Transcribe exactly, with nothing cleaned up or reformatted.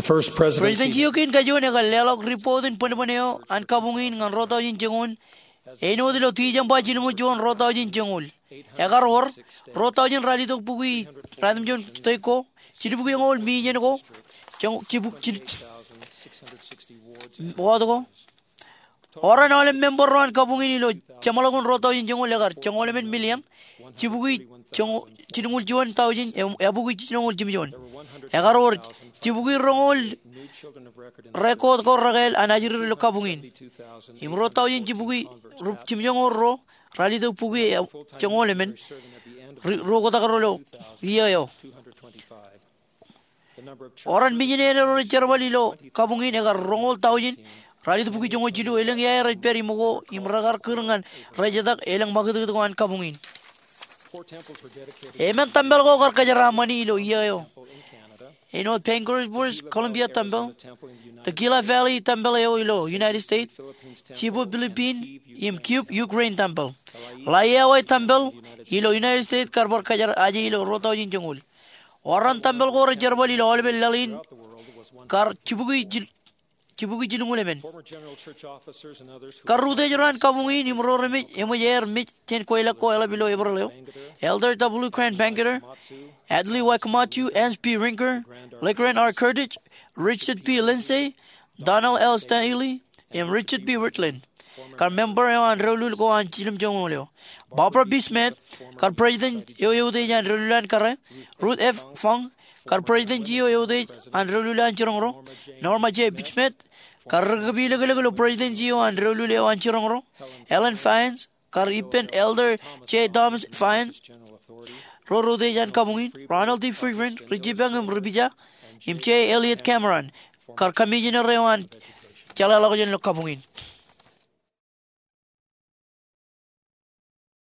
President Joaquin Kajuon ekar leḷọk ripot in bōnbōn eo an kabuñ in ñan ruo tọujin joñoul āinwōt ilo December jilñuul juon ruo tọujin joñoul. Ekar wōr ruo tọujin ralitōk bukwi ratimjuon state ko, jilbukwi eñoul million ko, joñ- jibuk- jil- wōt ko. Oran aolep member ro an kabuñ in ilo jeṃḷọkin ruo tọujin joñoul ekar joñoul emān million, jibukwi joñ- jilñuul juon tọujin, e- ebukwi jilñuul jimjuon. Ekar wōr jibukwi roñoul record ko rekāāl an ajri ro ilo kabuñ in. Im ruo tọujin jibukwi ru- jimjuon ko ruo ralitōk bukwi e- joñoul emān ri- ruo kotak ro ilo iiō eo. Oran missionary ro rej jerbal ilo kabuñ in ekar roñoul tọujin ralitōk bukwi joñoul jilu, elōñ iaer ej pād iṃōko im rekar kūr ñan rejetak elōñ ṃakūtkūt ko an kabuñ in. Emān tempel ko kar kōjeraaṃṃani ilo iiō eo āinwōt Banquet British Columbia Tempel, the Gila Valley Tempel eo ilo United States, Cebu Philippine, im Kyiv Ukraine Tempel. Laiawa Tempel ilo United States kar bar kōjeraaje ilo ruo tọujin joñoul. Oran tempel ko rej jerbal ilo aolepen laḷ in kar jibukwi jil- jibukwi jilñuul emān. Kar utiej ro an kabuñ in im ro remej eṃōj aer mej jān kweilọk ko eḷap ilo Eprel eo: Elder W. Grant Bangerter, Adley Y. Camacho, Hans P. Rinker, Legrand R. Curtis, Richard P. Lindsay, Donald L. Stanley, im Richard B. Wirthlin, kar member eo an doulul ko an jiljilimjuonñoul eo. Barbara B. Smith, kar president eo eutiej an doulul an kōrā. Ruth F. Funk, kar president eo eutiej an doulul an jiroñ ro. Norma J. Smith, kar ri kōpilōklōk ilo president eo an doulul eo an jiroñ ro. Ellen Fyans, kar ippān Elder J. Thomas Fyans, ro rej utiej an kabuñ in. Ronald D. Friedman, ri jipañ im ri pija, im J. Elliott Cameron, kar commissioner eo an jeḷāḷọkjeṇ ilo kabuñ in.